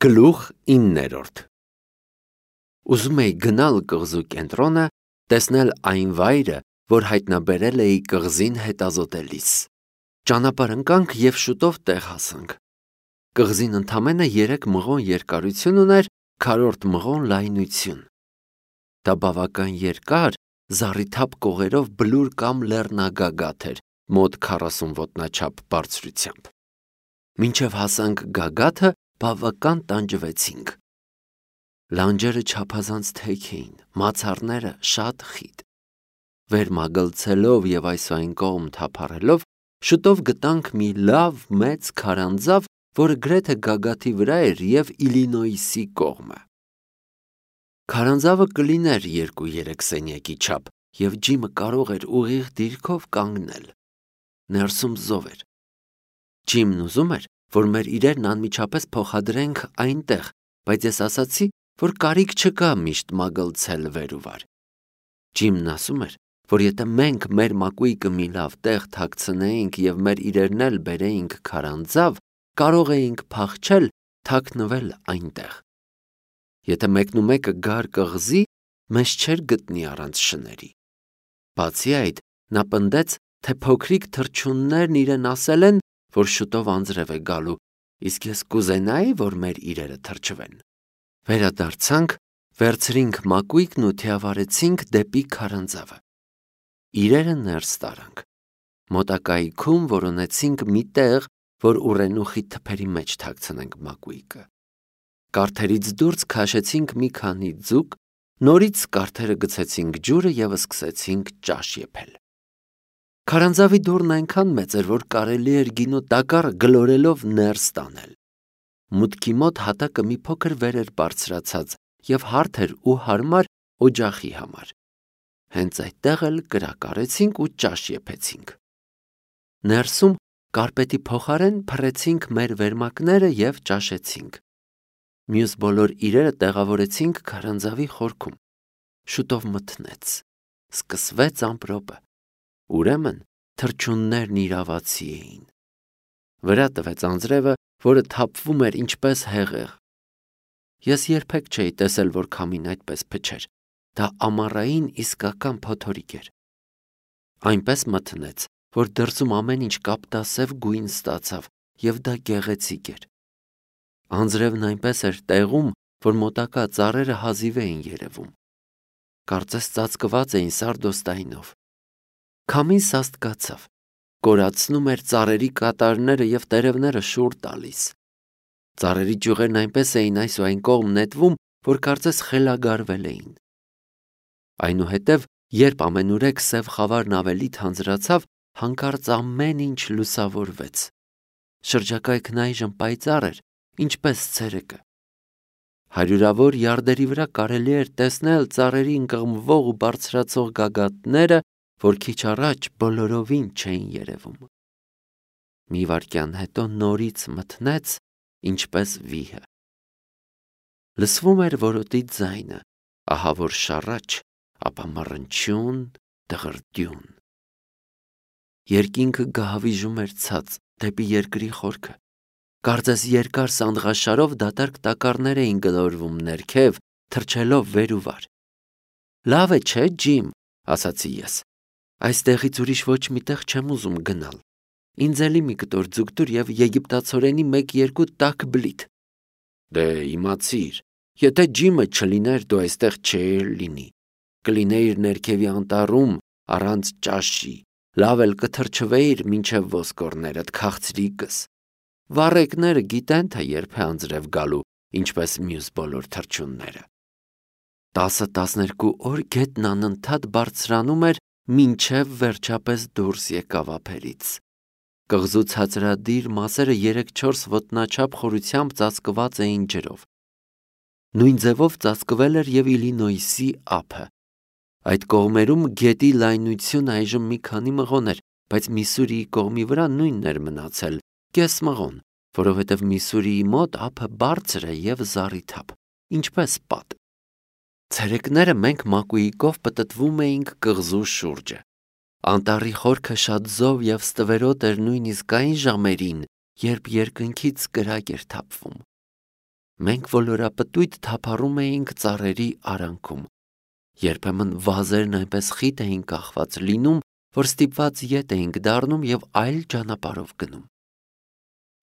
Գլուխ 9-րդ Ուզում էի գնալ կղզու կենտրոնը, տեսնել այն վայրը, որ հայտնաբերել էի կղզին հետազոտելիս։ Ճանապարհ ընկանք և շուտով տեղ հասանք։ Կղզին ընդամենը 3 մղոն երկարություն ուներ, քառորդ մղոն լայնություն։ Դա բավական երկար, զառիթափ կողերով բլուր կամ լեռնագագաթ էր, մոտ 40 ոտնաչափ բարձրությամբ։ Մինչև հասանք գագաթը, բավական տանջվեցինք։ Լանջերը չափազանց թեք էին, մացառները շատ խիտ։ Վեր մագլցելով և այս ու այն կողմ թափառելով, շուտով գտանք մի լավ մեծ քարանձավ, որը գրեթե գագաթի վրա էր և Իլինոյսի կողմը։ Քարանձավը կլիներ 2-3 սենյակի չափ, և Ջիմը կարող էր ուղիղ դիրքով կանգնել։ Ներսում զով էր։ Ջիմն ուզում էր, որ մեր իրերն անմիջապես փոխադրենք այնտեղ, բայց ես ասացի, որ կարիք չկա միշտ մագլցել վեր ու վար։ Ջիմն ասում էր, որ եթե մենք մեր մակույկը մի լավ տեղ թաքցնեինք և մեր իրերն էլ բերեինք քարանձավ, կարող էինք փախչել, թաքնվել այնտեղ։ Եթե մեկնումեկը գար կղզի, մեզ չէր գտնի առանց շների։ Բացի այդ, նա պնդեց, թե փոքրիկ թռչուններն իրեն ասել են, որ շուտով անձրև է գալու, իսկ ես կուզենայի, որ մեր իրերը թրջվեն։ Վերադարձանք, վերցրինք մակույկն ու թիավարեցինք դեպի քարանձավը։ Իրերը ներս տարանք։ Մոտակայքում որոնեցինք մի տեղ, որ ուռենուխի թփերի մեջ թաքցնենք մակույկը։ Կարթերից դուրս քաշեցինք մի քանի ձուկ, նորից կարթերը գցեցինք ջուրը և սկսեցինք ճաշ եփել։ Քարանձավի դուռն այնքան մեծ էր, որ կարելի էր գինու տակառը գլորելով ներս տանել։ Մուտքի մոտ հատակը մի փոքր վեր էր բարձրացած և հարթ էր ու հարմար օջախի համար։ Հենց այդտեղ էլ կրակ արեցինք ու ճաշ եփեցինք։ Ներսում կարպետի փոխարեն փռեցինք մեր վերմակները և ճաշեցինք։ Մյուս բոլոր իրերը տեղավորեցինք քարանձավի խորքում։ Շուտով մթնեց։ Սկսվեց ամպրոպը։ Ուրեմն թռչուններն իրավացի էին։ Վրա տվեց անձրևը, որը թափվում էր ինչպես հեղեղ։ Ես երբեք չէի տեսել, որ քամին այդպես փչեր։ Դա ամառային իսկական փոթորիկ էր։ Այնպես մթնեց, որ դրսում ամեն ինչ կապտասև գույն ստացավ, և դա գեղեցիկ էր։ Անձրևն այնպես էր տեղում, որ մոտակա ծառերը հազիվ էին երևում։ Կարծես ծածկված էին սարդոստայնով։ Քամին սաստկացավ, կորացնում էր ծառերի կատարները և տերևները շուռ տալիս։ Ծառերի ճյուղերն այնպես էին այս ու այն կողմ նետվում, որ կարծես խելագարվել էին։ Այնուհետև, երբ ամենուրեք սև խավարն ավելի թանձրացավ, հանկարծ ամեն ինչ լուսավորվեց։ Շրջակայքն այժմ պայծառ էր, ինչպես ցերեկը։ Հարյուրավոր յարդերի վրա կարելի էր տեսնել ծառերի ընկղմվող ու բարձրացող գագաթները, որ քիչ առաջ բոլորովին չէին երևում։ Մի վայրկյան հետո նորից մթնեց, ինչպես վիհը։ Լսվում էր որոտի ձայնը, ահա որ շառաչ, ապա մռնչյուն, դղրդյուն։ Երկինքը գահավիժում էր ցած դեպի երկրի խորքը։ Կարծես երկար սանդղաշարով դատարկ տակառներ էին գլորվում ներքև, թռչելով վեր ու վար։ Լավ է, չէ, Ջիմ, ասացի ես։ Այստեղից ուրիշ ոչ մի տեղ չեմ ուզում գնալ։ Ինձ էլի մի կտոր ձուկ տուր և եգիպտացորենի 1-2 տաք բլիթ։ Դե իմացիր, եթե Ջիմը չլիներ, դու այստեղ չէիր լինի։ Կլինեիր ներքևի անտառում առանց ճաշի, լավ էլ կթրջվեիր մինչև ոսկորներդ քաղցրիկս։ Վառեկները գիտեն, թե երբ է անձրև գալու, ինչպես մյուս բոլոր թռչունները։ 10-12 օր գետն անընդհատ բարձրանում էր, մինչև վերջապես դուրս եկավ ափերից։ Կղզու ցածրադիր մասերը 3-4 ոտնաչափ խորությամբ ծածկված էին ջրով։ Նույն ձևով ծածկվել էր և Իլինոյսի ափը։ Այդ կողմերում գետի լայնությունը այժմ մի քանի մղոն էր, բայց Միսսուրիի կողմի վրա նույնն էր մնացել, կես մղոն, որովհետև Միսսուրիի մոտ ափը բարձր է և զառիթափ, ինչպես պատ։ Ցերեկները մենք մակույկով պտտվում էինք կղզու շուրջը։ Անտառի խորքը շատ զով և ստվերոտ էր նույնիսկ այն ժամերին, երբ երկնքից կրակ էր թափվում։ Մենք ոլորապտույտ թափառում էինք ծառերի արանքում։ Երբեմն վազերն այնպես խիտ էին կախված լինում, որ ստիպված ետ էինք դառնում և այլ ճանապարհով գնում։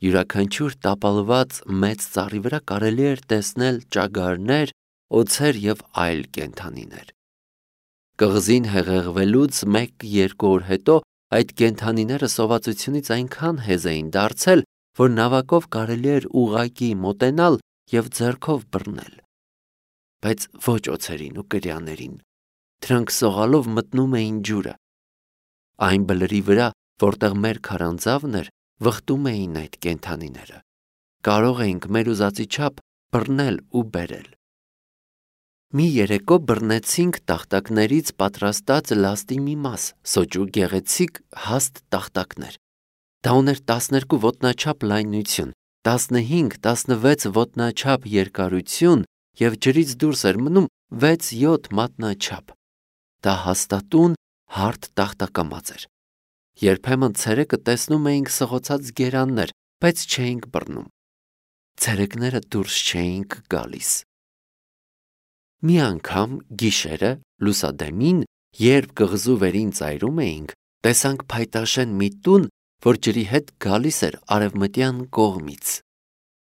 Յուրաքանչյուր տապալված մեծ ծառի վրա կարելի էր տեսնել ճագարներ, օձեր և այլ կենդանիներ։ Կղզին հեղեղվելուց 1-2 օր հետո այդ կենդանիները սովածությունից այնքան հեզ էին դարձել, որ նավակով կարելի էր ուղղակի մոտենալ և ձեռքով բռնել։ Բայց ոչ օձերին ու կրյաներին։ Դրանք սողալով մտնում էին ջուրը։ Այն բլրի վրա, որտեղ մեր քարանձավն էր, վխտում էին այդ կենդանիները։ Կարող էինք մեր ուզածի չափ բռնել ու բերել։ Մի երեկո բռնեցինք տախտակներից պատրաստած լաստի մի մաս, սոճու գեղեցիկ հաստ տախտակներ։ Դա ուներ 12 ոտնաչափ լայնություն, 15-16 ոտնաչափ երկարություն և ջրից դուրս էր մնում 6-7 մատնաչափ։ Դա հաստատուն հարթ տախտակամած էր։ Երբեմն ցերեկը տեսնում էինք սղոցած գերաններ, բայց չէինք բռնում։ Ցերեկները դուրս չէինք գալիս։ Մի անգամ գիշերը լուսադեմին, երբ կղզու վերին ծայրում էինք, տեսանք փայտաշեն մի տուն, որ ջրի հետ գալիս էր արևմտյան կողմից։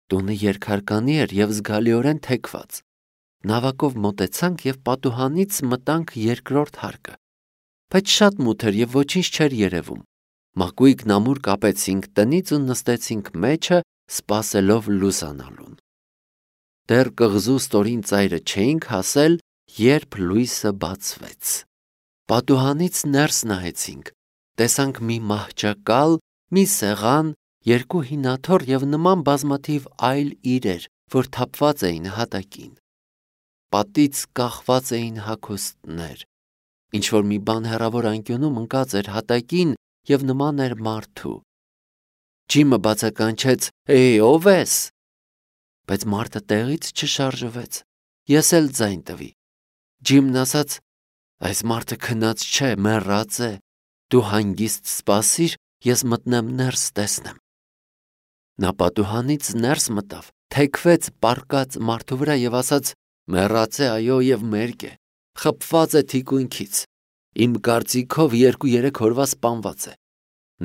Տունը երկհարկանի էր և զգալիորեն թեքված։ Նավակով մոտեցանք և պատուհանից մտանք երկրորդ հարկը։ Բայց շատ մութ էր և ոչինչ չէր երևում։ Մակույկն ամուր կապեցինք տնից ու նստեցինք մեջը, սպասելով լուսանալուն։ Դեռ կղզու ստորին ծայրը չէինք հասել, երբ լույսը բացվեց։ Պատուհանից ներս նայեցինք, տեսանք մի մահճակալ, մի սեղան, 2 հին աթոռ և նման բազմաթիվ այլ իրեր, որ թափված էին հատակին։ Պատից կախված էին հագուստներ։ Ինչ-որ մի բան հեռավոր անկյունում ընկած էր հատակին և նման էր մարդու։ Ջիմը բացականչեց. «Էй, ո՞վ ես»։ Բայց մարդը տեղից չշարժվեց։ Ես էլ ձայն տվի։ Ջիմն ասաց. «Այս մարդը քնած չէ, մեռած է։ Դու հանգիստ սպասիր, ես մտնեմ ներս տեսնեմ»։ Նա պատուհանից ներս մտավ, թեքվեց պառկած մարդու վրա և ասաց. «Մեռած է, այո, և մերկ է, խփված է թիկունքից։ Իմ կարծիքով 2-3 օրվա սպանված է։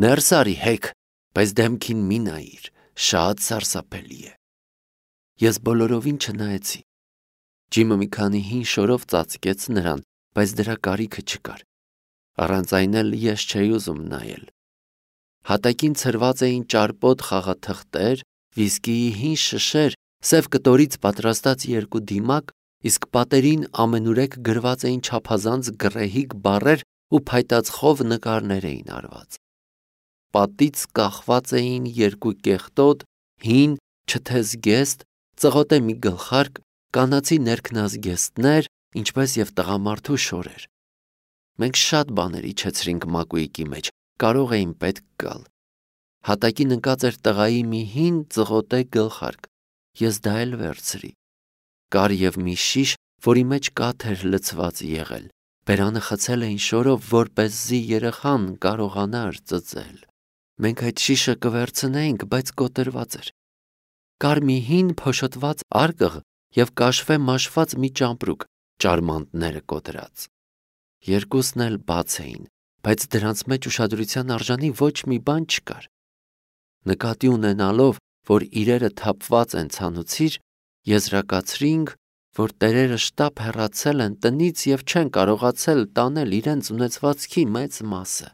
Ներս արի հեք, բայց դեմքին մի նայիր, շատ սարսափելի է»։ Ես բոլորովին չնայեցի։ Ջիմը մի քանի հին շորով ծածկեց նրան, բայց դրա կարիքը չկար։ Առանց այն էլ ես չէի ուզում նայել։ Հատակին ցրված էին ճարպոտ խաղաթղթեր, վիսկիի հին շշեր, սև կտորից պատրաստած 2 դիմակ, իսկ պատերին ամենուրեք գրված էին չափազանց գռեհիկ բառեր ու փայտածխով նկարներ էին արված։ Պատից կախված էին 2 կեղտոտ, հին, չթեզգեստ, ծղոտե մի գլխարկ, կանացի ներքնազգեստներ, ինչպես և տղամարդու շորեր։ Մենք շատ բաներ իջեցրինք մակույկի մեջ, կարող էին պետք գալ։ Հատակին ընկած էր տղայի մի հին ծղոտե գլխարկ։ Ես դա էլ վերցրի։ Կար և մի շիշ, որի մեջ կաթ էր լցված եղել։ Բերանը խցել էին շորով, որպեսզի երեխան կարողանար ծծել։ Մենք այդ շիշը կվերցնեինք, բայց կոտրված էր։ Կար մի հին փոշոտված արկղ և կաշվե մաշված մի ճամպրուկ, ճարմանտները կոտրած։ Երկուսն էլ բաց էին, բայց դրանց մեջ ուշադրության արժանի ոչ մի բան չկար։ Նկատի ունենալով, որ իրերը թափված են ցանոցիր, եզրակացրինք, որ տերերը շտապ հեռացել են տնից և չեն կարողացել տանել իրենց ունեցվածքի մեծ մասը։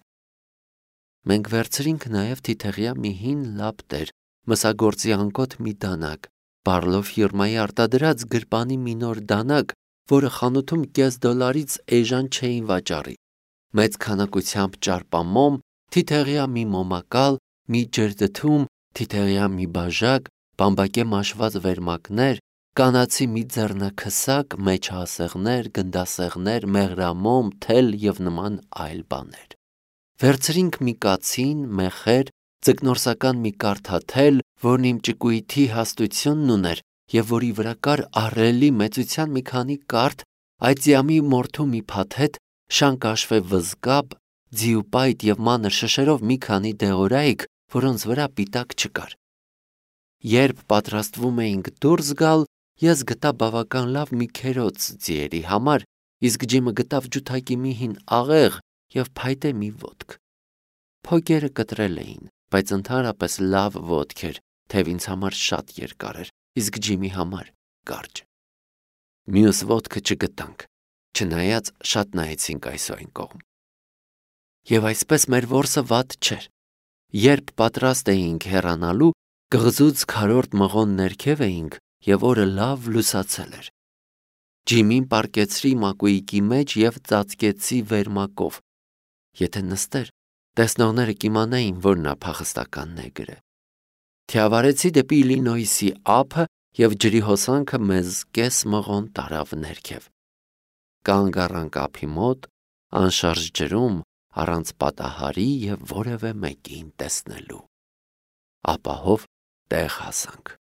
Մենք վերցրինք նաև թիթեղյա մի հին լապտեր, մսագործի անկոտ մի դանակ, Բարլով ֆիրմայի արտադրած գրպանի մի նոր դանակ, որը խանութում $0.5 էժան չէին վաճառի, մեծ քանակությամբ ճարպամոմ, թիթեղյա մի մոմակալ, մի ջրդդում, թիթեղյա մի բաժակ, բամբակե մաշված վերմակներ, կանացի մի ձեռնաքսակ, մեջահասեղներ, գնդասեղներ, մեղրամոմ, թել և նման այլ բաներ։ Վերցրինք մի կացին, մեխեր, ձկնորսական մի կարթաթել, որն իմ ճկույթի հաստությունն ուներ և որի վրա կար ահռելի մեծության մի քանի կարթ, այծյամի մորթու մի փաթեթ, շանկաշվե վզկապ, ձիուպայտ և մանր շշերով մի քանի դեղորայք, որոնց վրա պիտակ չկար։ Երբ պատրաստվում էինք դուրս գալ, ես գտա բավական լավ մի քերոց ձիերի համար, իսկ Ջիմը գտավ ջութակի մի հին աղեղ և փայտե մի ոտք։ Փոգերը կտրել էին, բայց ընդհանրապես լավ ոտք էր, թեև ինձ համար շատ երկար էր, իսկ Ջիմի համար կարճ։ Մյուս ոտքը չգտանք, չնայած շատ նայեցինք այս ու այն կողմ։ Եվ այսպես մեր որսը վատ չէր։ Երբ պատրաստ էինք հեռանալու, կղզուց քարորդ մղոն ներքև էինք և օրը լավ լուսացել էր։ Ջիմին պառկեցրի մակույկի մեջ և ծածկեցի վերմակով։ Եթե նստեր, տեսնողները կիմանային, որ նա փախստականն է գրել։ Թիավարեցի դեպի Իլինոյսի ափը և ջրի հոսանքը մեզ կես մղոն տարավ ներքև։ Կանգ առանք ափի մոտ, անշարժ ջրում, առանց պատահարի և որևէ մեկին տեսնելու։ Ապահով տեղ հասանք։